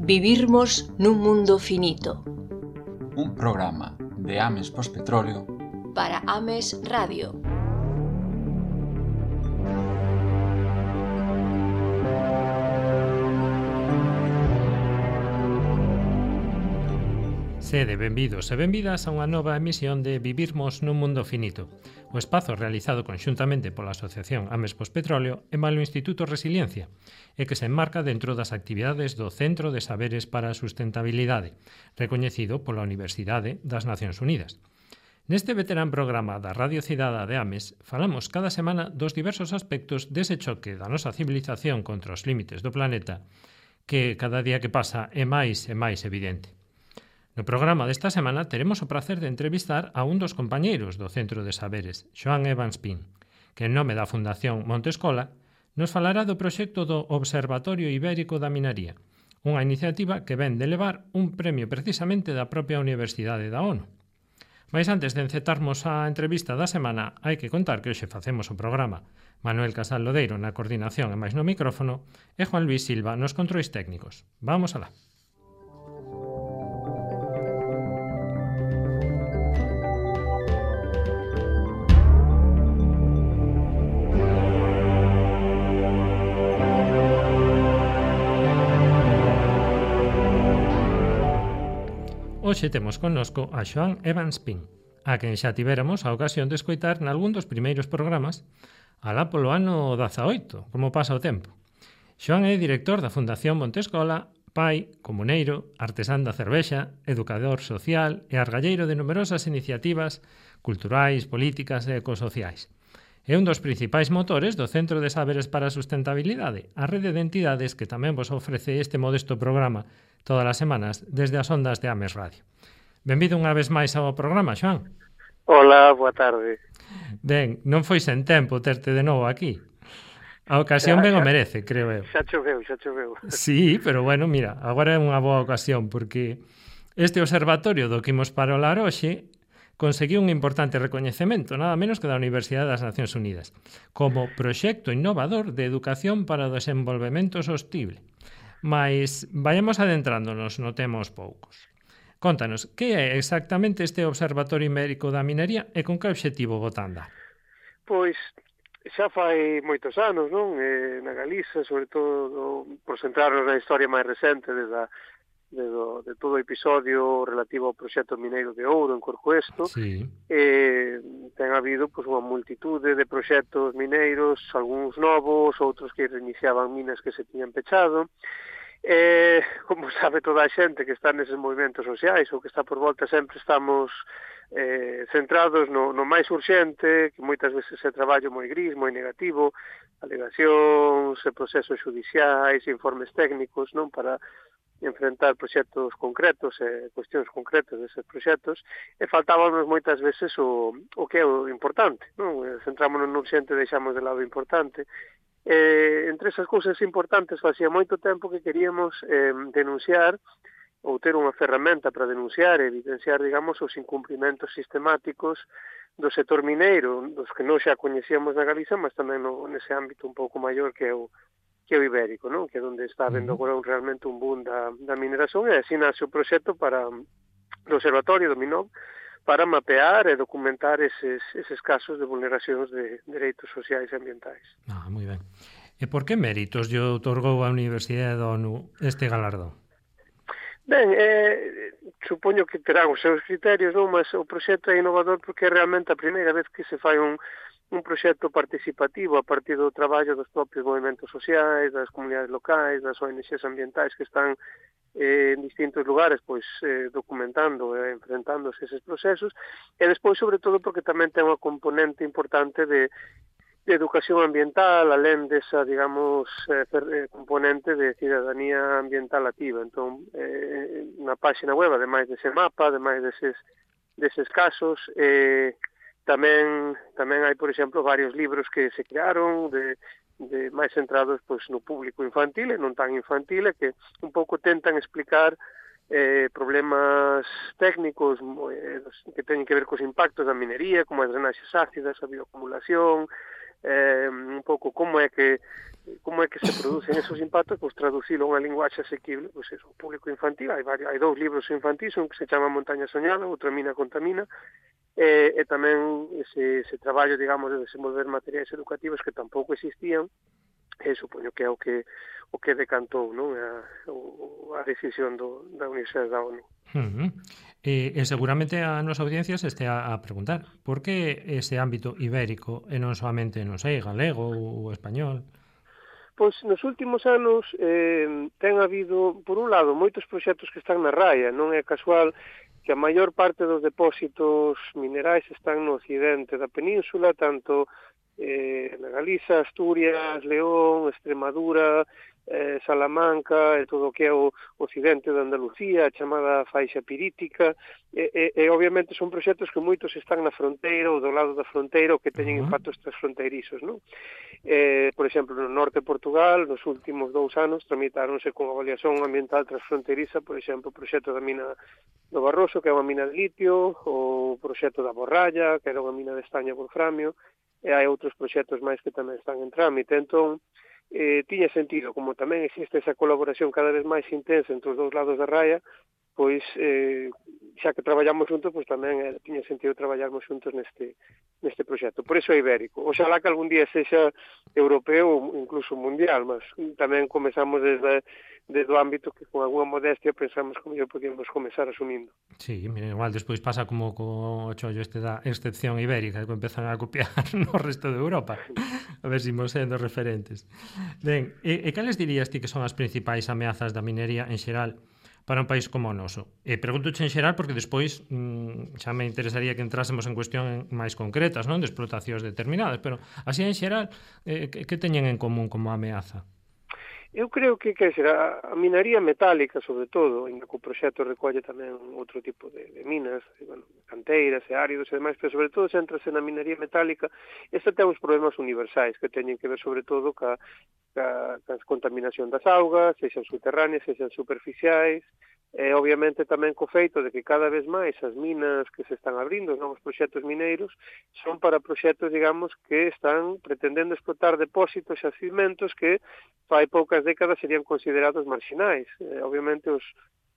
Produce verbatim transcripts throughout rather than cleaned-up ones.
Vivirmos nun mundo finito. Un programa de Ames Pospetróleo para Ames Radio. Sede, benvidos e benvidas a unha nova emisión de Vivirmos nun mundo finito, o espazo realizado conxuntamente pola Asociación Ames Pospetróleo e polo Instituto Resiliencia, e que se enmarca dentro das actividades do Centro de Saberes para a Sustentabilidade, recoñecido pola Universidade das Nacións Unidas. Neste veterán programa da Radio Cidada de Ames, falamos cada semana dos diversos aspectos dese choque da nosa civilización contra os límites do planeta, que cada día que pasa é máis e máis evidente. No programa desta semana teremos o prazer de entrevistar a un dos compañeiros do Centro de Saberes, Xoán Evans Pin, que en nome da Fundación Monte Escola nos falará do proxecto do Observatorio Ibérico da Minaría, unha iniciativa que ven de levar un premio precisamente da propia Universidade da ONU. Mais antes de encetarmos a entrevista da semana, hai que contar que hoxe facemos o programa Manuel Casal Lodeiro na coordinación e máis no micrófono e Juan Luis Silva nos controis técnicos. Vamos alá. Hoxe temos connosco a Xoán Evans Pin, a quen xa tivéramos a ocasión de escoitar nalgún dos primeiros programas alá polo ano dezaoito, como pasa o tempo. Xoán é director da Fundación Monte Escola, pai, comuneiro, artesán da cervexa, educador social e argalleiro de numerosas iniciativas culturais, políticas e ecosociais. É un dos principais motores do Centro de Saberes para a Sustentabilidade, a rede de entidades que tamén vos ofrece este modesto programa todas as semanas desde as ondas de Ames Radio. Benvido unha vez máis ao programa, Xoán. Hola, boa tarde. Ben, non foi sen tempo terte de novo aquí. A ocasión ben o merece, creo eu. Xa choveu, xa choveu. Sí, pero bueno, mira, agora é unha boa ocasión porque este observatorio do que imos parolar hoxe conseguiu un importante recoñecemento, nada menos que da Universidade das Nacións Unidas, como proxecto innovador de educación para o desenvolvemento sostible. Mais vayamos adentrándonos no tema aos poucos. Contanos, que é exactamente este Observatorio Ibérico da Minería e con que objetivo botanda? Pois xa fai moitos anos, non? Eh, na Galiza, sobre todo por centrarnos na historia máis recente desde a De, do, de todo o episodio relativo ao proxecto mineiro de ouro en Corcoesto. Sí. Eh, ten habido pois, unha multitude de proxectos mineiros, algúns novos, outros que reiniciaban minas que se tiñan pechado. Eh, como sabe toda a xente que está neses movimentos sociais ou que está por volta, sempre estamos eh, centrados no, no máis urxente, que moitas veces é traballo moi gris, moi negativo, alegacións, procesos judiciais, informes técnicos, non, para enfrentar proxectos concretos e cuestións concretas deses proxectos, e faltábamos moitas veces o, o que é o importante, non? Centrámonos no urxente e deixamos de lado o importante. E, entre esas cousas importantes, facía moito tempo que queríamos eh, denunciar ou ter unha ferramenta para denunciar e evidenciar, digamos, os incumprimentos sistemáticos do sector mineiro, dos que non xa coñecíamos na Galiza, mas tamén no, nese ámbito un pouco maior que é o que é o ibérico, non? Que é onde está habendo agora un, realmente un boom da, da mineración, e así nace o proxecto para o Observatorio do Minov para mapear e documentar eses, eses casos de vulneracións de dereitos sociais e ambientais. Ah, moi ben. E por que méritos lle outorgou a Universidade da ONU este galardón? Ben, eh, supoño que terán os seus criterios, non? Mas o proxecto é innovador porque é realmente a primeira vez que se fai un un proxecto participativo a partir do traballo dos propios movimentos sociais, das comunidades locais, das O N Gs ambientais que están eh, en distintos lugares pois eh, documentando e enfrentándose eses procesos, e despois, sobre todo, porque tamén ten unha componente importante de, de educación ambiental, alén desa, digamos, eh, componente de cidadanía ambiental activa. Entón, eh, na página web, ademais dese mapa, ademais deses, deses casos, eh, Tamén tamén hai, por exemplo, varios libros que se crearon de, de máis centrados pois, no público infantil e non tan infantil, e que un pouco tentan explicar eh, problemas técnicos eh, que teñen que ver cos impactos da minería, como as drenaxes ácidas, a bioacumulación, eh, un pouco como é que como é que se producen esos impactos, pois traducilo a unha linguaxe asequible, pois eso, o público infantil, hai varios, hai dous libros infantis, un que se chama Montaña Soñada, outro Mina Contamina, e, e tamén ese, ese traballo, digamos, de desenvolver materiais educativos que tampouco existían, e supoño que é o que o que decantou, non, a, a decisión do, da Universidade da ONU. Uh-huh. E, e seguramente a nosa audiencia se este a, a preguntar por que ese ámbito ibérico e non solamente, non sei, galego ou español? Pois nos últimos anos eh, ten habido, por un lado, moitos proxectos que están na raya, non é casual que a maior parte dos depósitos minerais están no occidente da península, tanto eh, na Galiza, Asturias, León, Extremadura, eh, Salamanca, e todo o que é o occidente de Andalucía, a chamada faixa pirítica, e, e, e obviamente son proxectos que moitos están na fronteira ou do lado da fronteira ou que teñen Uh-huh. impactos transfronteirizos, non? Eh, por exemplo, no norte de Portugal, nos últimos dous anos, tramitáronse con avaliación ambiental transfronteiriza, por exemplo, o proxecto da mina do Barroso, que é unha mina de litio, o proxecto da Borralla, que era unha mina de estaño wolframio, e hai outros proxectos máis que tamén están en trámite. Entón, eh, tiña sentido, como tamén existe esa colaboración cada vez máis intensa entre os dous lados da raya, pois, eh, xa que traballamos juntos, pois tamén eh, tiña sentido traballarmos juntos neste neste proxecto. Por iso é ibérico. Oxalá que algún día sexa europeo ou incluso mundial, mas tamén comezamos desde, desde o ámbito que con alguna modestia pensamos como yo podíamos comezar asumindo. Sí, mira, igual despois pasa como co chollo este da excepción ibérica, que empezan a copiar no resto de Europa. A ver se imos sendo referentes. Ben, e, e cales dirías ti que son as principais ameazas da minería en xeral para un país como o noso? E preguntoche en xeral porque despois mmm, xa me interesaría que entrásemos en cuestión máis concretas, non, de explotacións determinadas, pero así en xeral, eh, que, que teñen en común como ameaza? Eu creo que, que será a minería metálica, sobre todo, ainda que o proxecto recolle tamén outro tipo de, de minas, bueno, canteiras e áridos e demais, pero sobre todo centrase na minería metálica. Esta ten uns problemas universais que teñen que ver sobre todo ca, ca, ca contaminación das augas, sexan subterráneas, sexan superficiais, e obviamente tamén co feito de que cada vez máis as minas que se están abrindo, os novos proxectos mineiros, son para proxectos, digamos, que están pretendendo explotar depósitos e xacimentos que fai poucas décadas serían considerados marxinais. Eh, obviamente, os,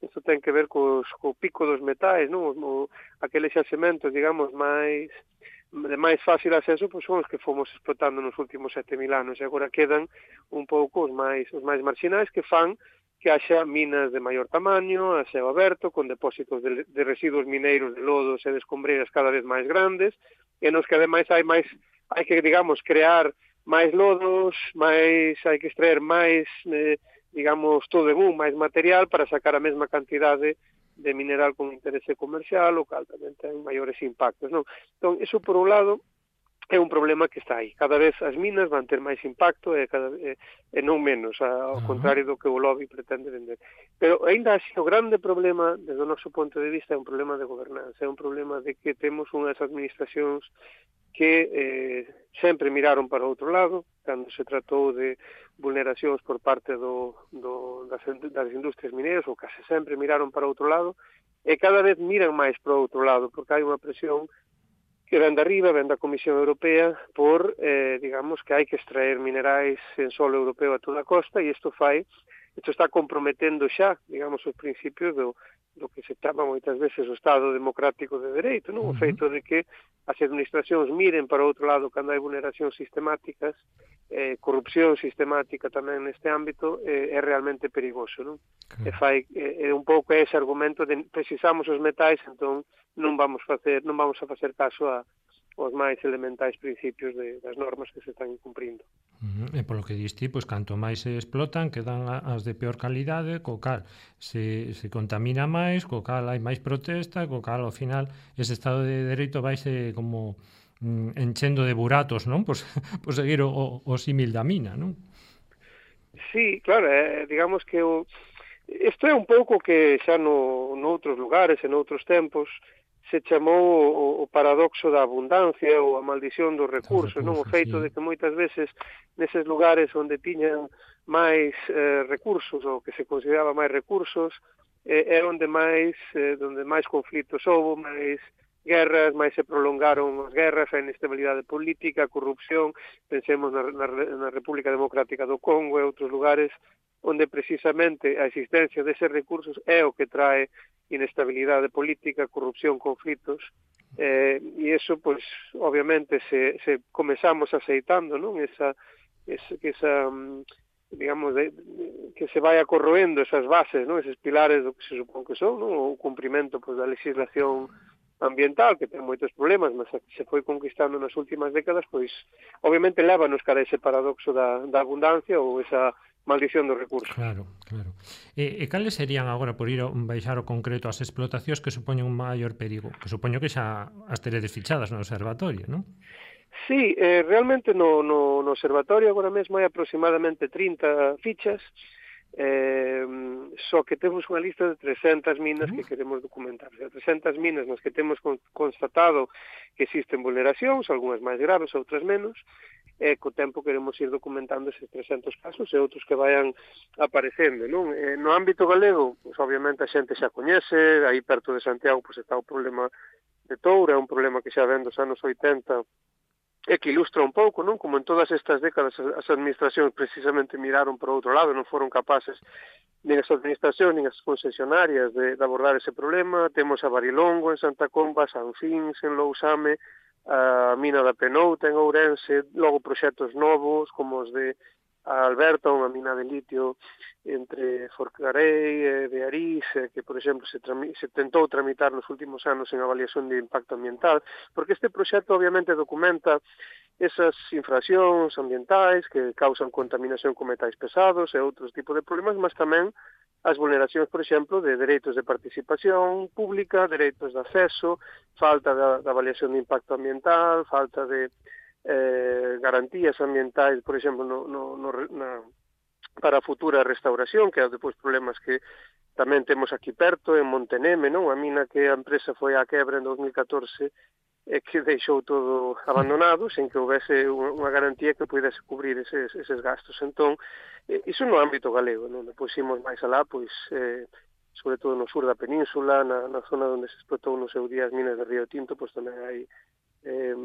isto ten que ver cos, co pico dos metais, non? O, o, aqueles xacimentos, digamos, máis de máis fácil acceso, pois son os que fomos explotando nos últimos sete mil anos, e agora quedan un pouco os máis, os máis marxinais que fan que haxa minas de maior tamaño, a ceo aberto, con depósitos de, de residuos mineiros de lodos e de escombreiras cada vez máis grandes, e nos que ademais hai máis, hai que, digamos, crear máis lodos, máis, hai que extraer máis, eh, digamos, todo en un, máis material para sacar a mesma cantidade de mineral con interese comercial, o cal tamén ten maiores impactos, non? Entón, iso por un lado é un problema que está aí. Cada vez as minas van ter máis impacto e, cada, e, e non menos, ao contrario do que o lobby pretende vender. Pero ainda así, o grande problema, desde o noso ponto de vista, é un problema de gobernanza, é un problema de que temos unhas administracións que eh, sempre miraron para outro lado, cando se tratou de vulneracións por parte do, do, das, das industrias mineiras, ou case sempre miraron para outro lado, e cada vez miran máis para outro lado, porque hai unha presión que ven de arriba, ven da Comisión Europea, por, eh, digamos, que hai que extraer minerais en solo europeo a toda a costa, e isto fai, isto está comprometendo xa, digamos, os principios do, do que se chama moitas veces o Estado democrático de dereito, non? O feito de que as administracións miren para outro lado cando hai vulneracións sistemáticas, eh, corrupción sistemática tamén neste ámbito, eh, é realmente perigoso, non? Okay. E fai, é eh, un pouco ese argumento de precisamos os metais, entón non vamos facer, non vamos a facer caso a os máis elementais principios de, das normas que se están incumprindo. Uh-huh. E polo que diste, pois, canto máis se explotan, quedan as de peor calidade, co cal se, se contamina máis, co cal hai máis protesta, co cal, ao final, ese Estado de Dereito vaise como mm, enchendo de buratos, non? Por, por seguir o, o símil da mina, non? Sí, claro, eh, digamos que o, isto é un pouco que xa no, noutros lugares e noutros tempos se chamou o, o paradoxo da abundancia ou a maldición dos recursos, non? O feito sí. de que moitas veces neses lugares onde tiñan máis eh, recursos ou que se consideraba máis recursos, eh, é onde máis eh, onde máis conflitos houve, máis guerras, máis se prolongaron as guerras, a inestabilidade política, a corrupción, pensemos na, na, na República Democrática do Congo e outros lugares onde precisamente a existencia deses recursos é o que trae inestabilidade política, corrupción, conflitos, eh, e iso, pois, obviamente, se, se comezamos aceitando, non? Esa, esa, esa digamos, de, de, que se vaya corroendo esas bases, non? Eses pilares do que se supón que son, non? O cumprimento, pois, da legislación ambiental, que ten moitos problemas, mas se foi conquistando nas últimas décadas, pois, obviamente, lévanos cara a ese paradoxo da, da abundancia ou esa maldición dos recursos. Claro, claro. E, e cales serían agora, por ir a baixar o concreto, as explotacións que supoñen un maior perigo? Que supoño que xa as teredes fichadas no observatorio, non? Sí, eh, realmente no, no, no observatorio agora mesmo hai aproximadamente trinta fichas, eh, só que temos unha lista de trescentas minas que queremos documentar. O sea, trescentas minas nas que temos con, constatado que existen vulneracións, algunhas máis graves, outras menos, e co tempo queremos ir documentando esses trescentos casos e outros que vayan aparecendo, non? Eh, no ámbito galego, pues, obviamente a xente xa coñece, aí perto de Santiago pues, está o problema de Toura, é un problema que xa ven dos anos oitenta, e que ilustra un pouco, non? Como en todas estas décadas as administracións precisamente miraron por outro lado, non foron capaces nin as administracións, nin as concesionarias de, de abordar ese problema. Temos a Barilongo en Santa Comba, San Fins en Lousame, a mina da Penouta en Ourense, logo proxectos novos como os de a Alberta, unha mina de litio entre Forcarei e de Arís, que, por exemplo, se, se tentou tramitar nos últimos anos en avaliación de impacto ambiental, porque este proxecto obviamente documenta esas infraccións ambientais que causan contaminación con metais pesados e outros tipos de problemas, mas tamén as vulneracións, por exemplo, de dereitos de participación pública, dereitos de acceso, falta da, da avaliación de impacto ambiental, falta de eh, garantías ambientais, por exemplo, no, no, no, na, para a futura restauración, que é depois problemas que tamén temos aquí perto, en Monteneme, non? A mina que a empresa foi á quebra en dos mil catorce e que deixou todo abandonado sen que houvese unha garantía que pudese cubrir eses, eses gastos. Entón, eh, iso no ámbito galego, non? Depois imos máis alá, pois, eh, sobre todo no sur da península, na, na zona onde se explotou no seu día as minas de Río Tinto, pois tamén hai eh,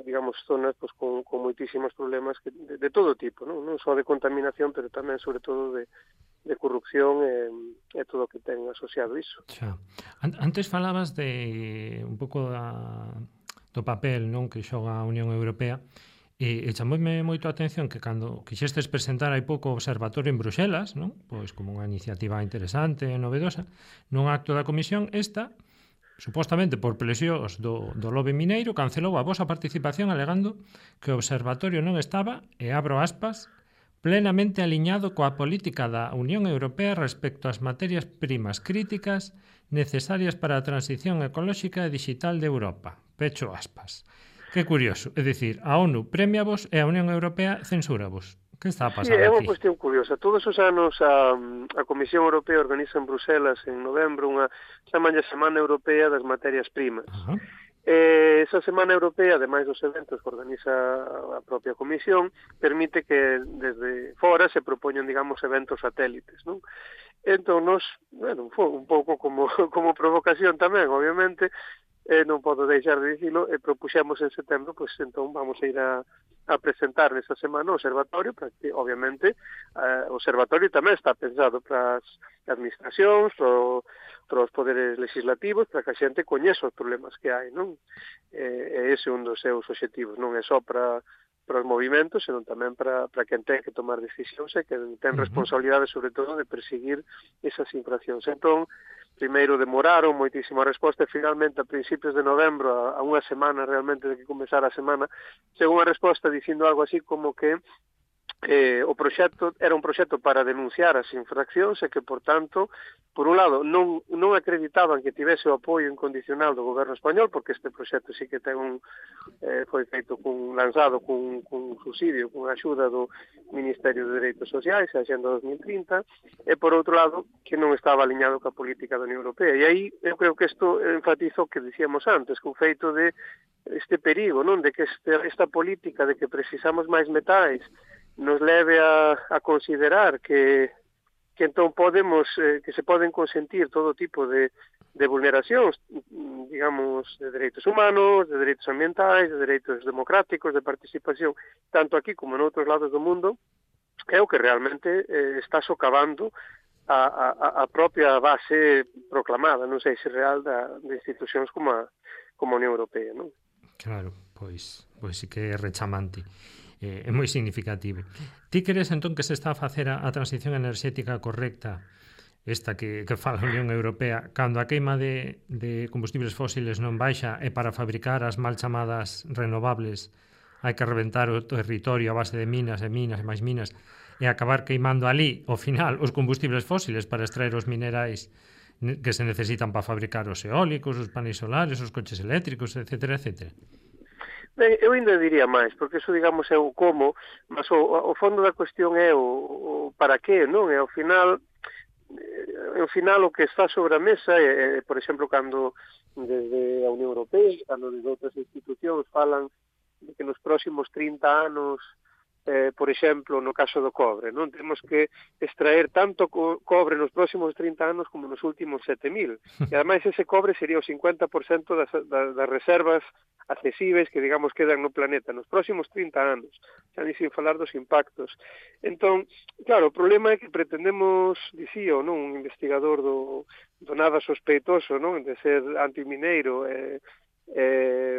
digamos, zonas pues, con, con moitísimos problemas que, de, de todo tipo, non? Non só de contaminación, pero tamén, sobre todo, de, de corrupción e, e todo o que ten asociado iso. Xa. Antes falabas de un pouco da, do papel, non, que xoga a Unión Europea, e, e chamoume moito a atención que cando quixestes presentar hai pouco o observatorio en Bruxelas, non? Pois como unha iniciativa interesante e novedosa, nun acto da comisión, esta supostamente por presións do, do lobe mineiro, cancelou a vosa participación alegando que o observatorio non estaba, e abro aspas, plenamente aliñado coa política da Unión Europea respecto ás materias primas críticas necesarias para a transición ecolóxica e digital de Europa. Pecho aspas. Que curioso, é dicir, a ONU premia vos e a Unión Europea censura vos. Que está a pasar aquí? Sí, é unha aquí? cuestión curiosa. Todos os anos a, a Comisión Europea organiza en Bruselas en novembro unha chamalla Semana Europea das Materias Primas. Uh-huh. Eh, esa Semana Europea, ademais dos eventos que organiza a propia Comisión, permite que desde fora se propoñan, digamos, eventos satélites, non? Entón, nos, bueno, foi un pouco como, como provocación tamén, obviamente, eh, non podo deixar de dicilo, e propuxemos en setembro, pois entón vamos a ir a, a presentar nesta semana o observatorio, para que, obviamente, eh, o observatorio tamén está pensado para as administracións, para, para os poderes legislativos, para que a xente coñeza os problemas que hai, non? E, e ese é un dos seus obxectivos, non é só para para os movimentos, senón tamén para, para quen ten que tomar decisións e que ten responsabilidade, sobre todo, de perseguir esas infraccións. Entón, primeiro demoraron moitísima resposta e finalmente a principios de novembro, a, a unha semana realmente de que comezara a semana, chegou unha resposta dicindo algo así como que eh, o proxecto era un proxecto para denunciar as infraccións e que, por tanto, por un lado, non, non acreditaban que tivese o apoio incondicional do goberno español, porque este proxecto sí que ten un, eh, foi feito con, lanzado con, con subsidio, con axuda do Ministerio de Dereitos Sociais, a Axenda dos mil trinta, e por outro lado, que non estaba aliñado ca política da Unión Europea. E aí, eu creo que isto enfatizo o que dicíamos antes, que o feito de este perigo, non, de que este, esta política de que precisamos máis metais nos leve a, a considerar que, que entón podemos, eh, que se poden consentir todo tipo de, de vulneracións, digamos, de dereitos humanos, de dereitos ambientais, de dereitos democráticos, de participación, tanto aquí como en outros lados do mundo, é o que realmente eh, está socavando a, a, a propia base proclamada, non sei se real, da, de institucións como a, como a Unión Europea, non? Claro, pois, pois sí que é rechamante. Eh, é moi significativo. Ti crees entón que se está a facer a, a transición enerxética correcta, esta que, que fala a Unión Europea, cando a queima de, de combustibles fósiles non baixa e para fabricar as mal chamadas renovables hai que reventar o territorio a base de minas e minas e máis minas e acabar queimando ali, ao final, os combustibles fósiles para extraer os minerais que se necesitan para fabricar os eólicos, os paneis solares, os coches eléctricos, etcétera, etcétera? Ben, eu ainda diría máis, porque eso, digamos, é o como, mas o, o fondo da cuestión é o, o para qué, non? E ao final, ao final o que está sobre a mesa é, por exemplo, cando desde a Unión Europea, cando desde outras institucións falan de que nos próximos trinta anos, eh, por exemplo, no caso do cobre, non temos que extraer tanto co cobre nos próximos trinta anos como nos últimos sete mil. E ademais ese cobre sería o cincuenta por cento das, das, das reservas accesíveis que, digamos, quedan no planeta nos próximos trinta anos, xa ni sin falar dos impactos. Entón, claro, o problema é que pretendemos, dicía, non, un investigador do, do nada sospeitoso, non, de ser antimineiro, eh, eh,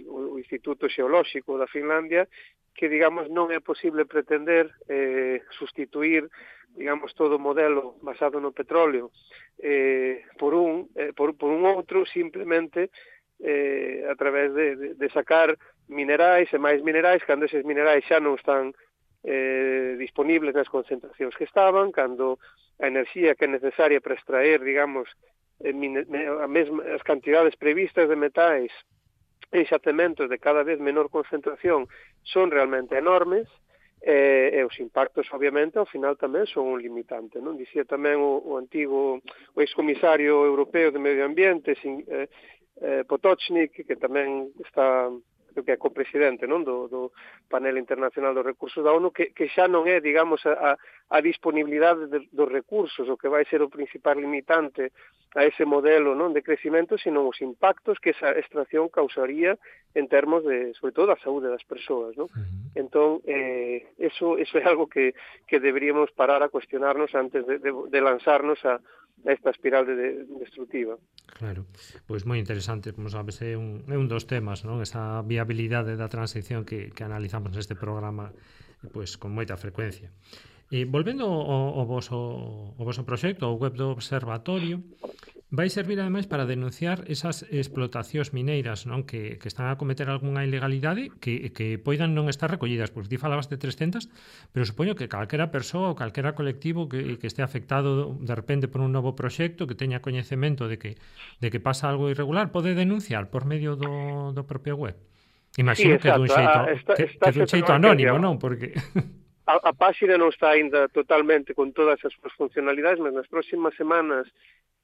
o Instituto Xeolóxico da Finlandia, que, digamos, non é posible pretender eh, sustituir, digamos, todo o modelo basado no petróleo eh, por un eh, por, por un outro, simplemente eh, a través de, de, de sacar minerais e máis minerais, cando eses minerais xa non están eh, disponibles nas concentracións que estaban, cando a enerxía que é necesaria para extraer, digamos, eh, mine, a mesma, as cantidades previstas de metais e xacementos de cada vez menor concentración son realmente enormes, e, e os impactos, obviamente, ao final tamén son un limitante, non? Dicía tamén o, o antigo, o excomisario europeo de Medio Ambiente, sin, eh, eh, Potočnik, que tamén está, creo que é copresidente, non, do, do panel internacional dos recursos da ONU, que, que xa non é, digamos, a, a disponibilidade de, dos recursos o que vai ser o principal limitante a ese modelo, non, de crecimento, sino os impactos que esa extracción causaría en termos de, sobre todo, a saúde das persoas, non? Uh-huh. Entón, eh, eso, eso é algo que, que deberíamos parar a cuestionarnos antes de, de, de lanzarnos a, a esta espiral de, de, destructiva. Claro, pois moi interesante, como sabes, é un, é un dos temas, non? Esa viabilidade da transición que, que analizamos neste programa pois con moita frecuencia. E volvendo ao, ao, voso, ao voso proxecto, ao web do observatorio, vai servir ademais para denunciar esas explotacións mineiras, non, que, que están a cometer algunha ilegalidade que, que poidan non estar recollidas, porque ti falabas de trescentas, pero supoño que calquera persoa ou calquera colectivo que, que este afectado de repente por un novo proxecto, que teña coñecemento de que, de que pasa algo irregular, pode denunciar por medio do, do propio web. Imagino sí, que dun xeito, ah, está, que, que dun xeito anónimo, non? Porque... A, a páxina non está aínda totalmente con todas as súas funcionalidades, mas nas próximas semanas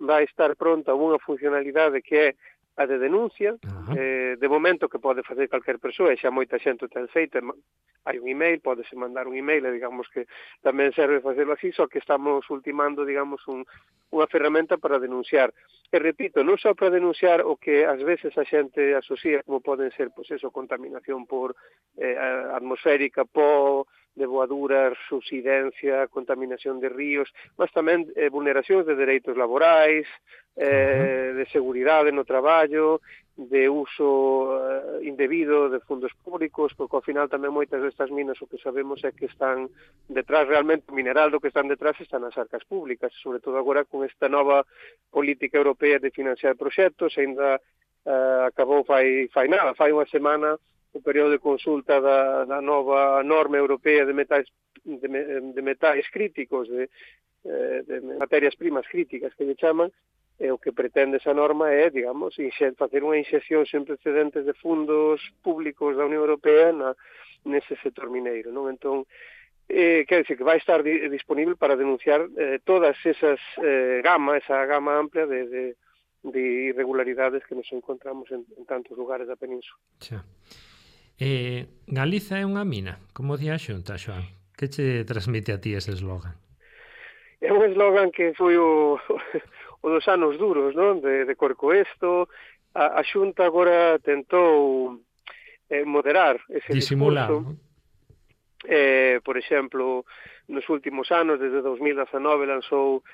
vai estar pronta unha funcionalidade que é a de denuncia, eh, de momento que pode facer calquer persoa, e xa moita xente o ten feito, hai un email, podese mandar un email, e digamos que tamén serve facerlo así, só que estamos ultimando, digamos, un, unha ferramenta para denunciar. E repito, non só para denunciar o que ás veces a xente asocia como poden ser, pois eso, contaminación por eh, atmosférica, po, deboaduras, subsidencia, contaminación de ríos, mas tamén eh, vulneracións de dereitos laborais, eh, de seguridade no traballo, de uso eh, indebido de fundos públicos, porque ao final tamén moitas destas minas o que sabemos é que están detrás, realmente o mineral do que están detrás están nas arcas públicas, sobre todo agora con esta nova política europea de financiar proxectos, ainda eh, acabou fai, fai nada, fai unha semana o período de consulta da, da nova norma europea de metais, de, de metais críticos, de, de materias primas críticas que lle chaman, e o que pretende esa norma é, digamos, facer unha inxección sen precedentes de fundos públicos da Unión Europea na, nese sector mineiro, non? Entón, eh, quer dizer que vai estar di, disponible para denunciar eh, todas esas eh, gama, esa gama amplia de, de, de irregularidades que nos encontramos en, en tantos lugares da península. Xa. Eh, Galiza é unha mina, como di a Xunta, Xoán? Que che transmite a ti ese eslogan? É un eslogan que foi o, o o dos anos duros, non? De, de Corcoesto. A, a Xunta agora tentou eh, moderar ese disimular, discurso. ¿no? Eh, por exemplo, nos últimos anos, desde dos mil dezanove, lanzou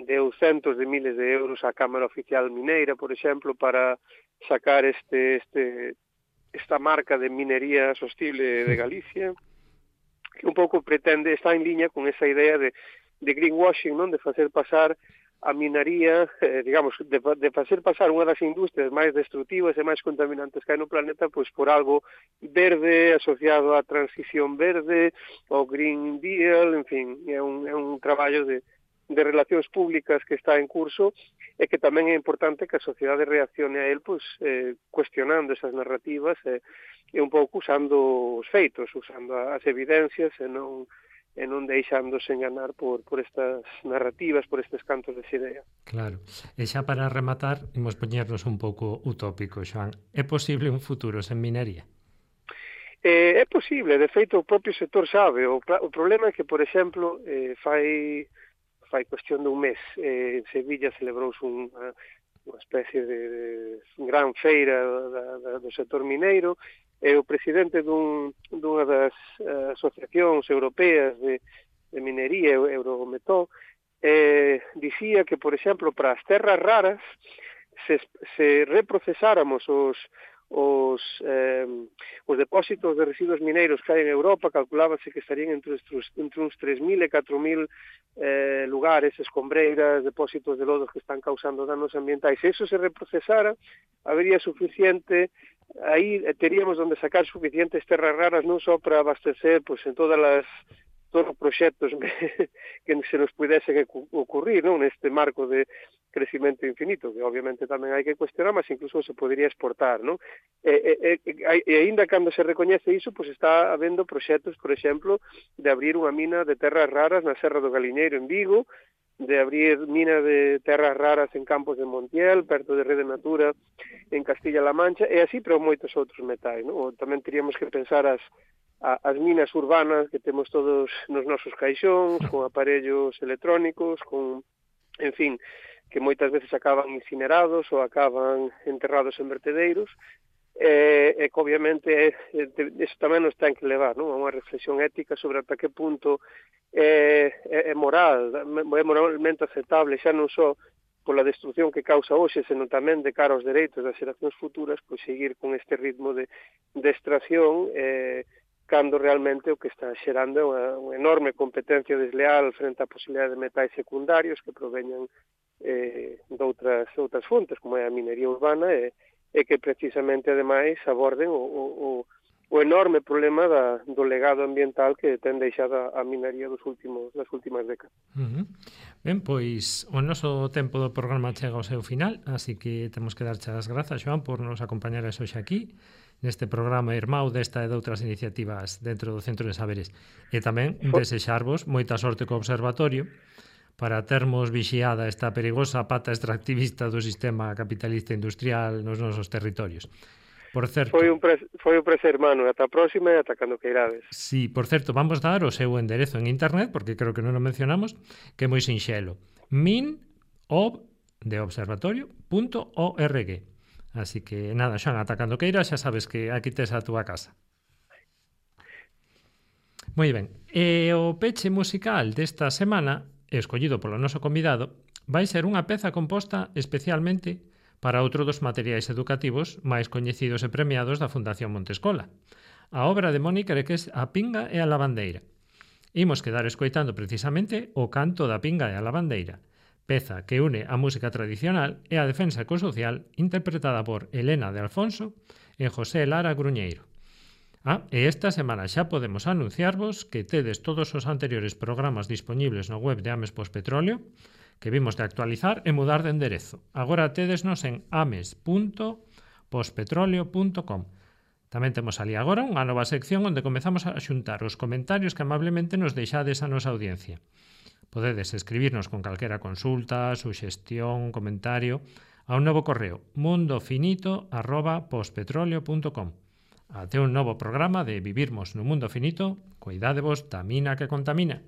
deu centos de miles de euros á Cámara Oficial Mineira, por exemplo, para sacar este, este, esta marca de minería sostible de Galicia, que un pouco pretende, está en liña con esa idea de, de greenwashing, non? De facer pasar a minaría, eh, digamos, de, de facer pasar unha das industrias máis destructivas e máis contaminantes que hai no planeta, pois por algo verde, asociado á transición verde, ao Green Deal, en fin, é un, é un traballo de, de relacións públicas que está en curso e que tamén é importante que a sociedade reaccione a él, pois, eh, cuestionando esas narrativas e, e un pouco usando os feitos, usando as evidencias e non e non deixándose enganar por, por estas narrativas, por estes cantos de xidea. Claro. E xa para rematar, imos poñernos un pouco utópico, Xoán. É posible un futuro sen minería? Eh, é posible, de feito o propio sector sabe. O, o problema é que, por exemplo, eh, fai, fai cuestión dun mes, eh, en Sevilla celebrouse unha, unha especie de, de gran feira da, da, do sector mineiro, e o presidente dun, dunha das uh, asociacións europeas de, de minería, Eurometó, eh, dicía que, por exemplo, para as terras raras, se, se reprocesáramos os, os, eh, os depósitos de residuos mineiros que hai en Europa, calculábase que estarían entre, entre uns tres mil e catro mil eh, lugares, escombreiras, depósitos de lodos que están causando danos ambientais. Se eso se reprocesara, habería suficiente, aí teríamos onde sacar suficientes terras raras non só para abastecer pois, en todas as todos os proxectos que se nos pudesen ocurrir, non, neste marco de crecimento infinito, que obviamente tamén hai que cuestionar, mas incluso se podría exportar, non? E, e, e, e ainda cando se recoñece iso, pois está habendo proxectos, por exemplo, de abrir unha mina de terras raras na Serra do Galiñeiro en Vigo, de abrir mina de terras raras en Campos de Montiel, perto de Rede Natura, en Castilla-La Mancha, e así, pero moitos outros metais, non? Tamén teríamos que pensar as, as minas urbanas que temos todos nos nosos caixóns, con aparellos electrónicos, con, en fin, que moitas veces acaban incinerados ou acaban enterrados en vertedeiros, e, e que obviamente eso tamén nos ten que levar, non? A unha reflexión ética sobre ata que punto é, é, é moral, é moralmente aceptable, xa non só pola destrucción que causa hoxe, senón tamén de cara aos dereitos das xeracións futuras, pois seguir con este ritmo de, de extracción, eh, cando realmente o que está xerando é unha, unha enorme competencia desleal frente á posibilidade de metais secundarios que proveñan eh, de outras, outras fontes, como é a minería urbana, e, e que precisamente, ademais, aborden o, o, o enorme problema da, do legado ambiental que ten deixado a minería dos últimos, das últimas décadas. Uh-huh. Ben, pois o noso tempo do programa chega ao seu final, así que temos que darche as grazas, Xoán, por nos acompañar hoxe aquí, neste programa Irmão desta e de outras iniciativas dentro do Centro de Saberes. E tamén desexarvos moita sorte co observatorio para termos vixiada esta perigosa pata extractivista do sistema capitalista industrial nos nosos territorios. Por certo, foi un pre, foi un prazer, Manu, ata a próxima e ata cando queirades. Sí, por certo, vamos dar o seu enderezo en internet, porque creo que non o mencionamos, que é moi sinxelo. min.ob de observatorio punto org. Así que nada, Xoán, ata cando queiras, xa sabes que aquí tes a túa casa. Moi ben, e o peche musical desta semana, escollido polo noso convidado, vai ser unha peza composta especialmente para outro dos materiais educativos máis coñecidos e premiados da Fundación Montescola, a obra de Mónica Ereques A Pinga e a Lavandeira. Imos quedar escoitando precisamente o canto da pinga e a lavandeira, peza que une a música tradicional e a defensa ecosocial interpretada por Elena de Alfonso e José Lara Gruñeiro. Ah, e esta semana xa podemos anunciarvos que tedes todos os anteriores programas dispoñibles no web de Ames Pospetróleo, que vimos de actualizar e mudar de enderezo. Agora tedesnos en ames punto pospetroleo punto com. Tamén temos ali agora unha nova sección onde comezamos a xuntar os comentarios que amablemente nos deixades a nosa audiencia. Podedes escribirnos con calquera consulta, suxestión, comentario a un novo correo mundofinito arroba pospetroleo punto com. Até un novo programa de Vivirmos no Mundo Finito. Cuidádevos da mina que contamina.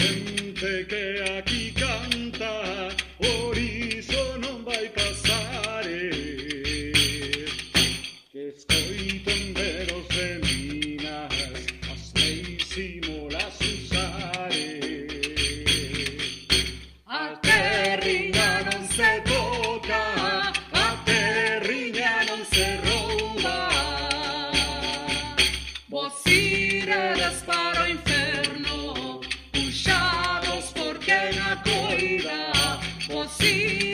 xente que aquí canta, por iso non vai pasar, eh. Que escoiten veros de minas, as leis simolas usar, eh. A terriña non se toca, a terriña non se rouba. Vos iredes para o inferno, puxados por quen a coida. Vos iredes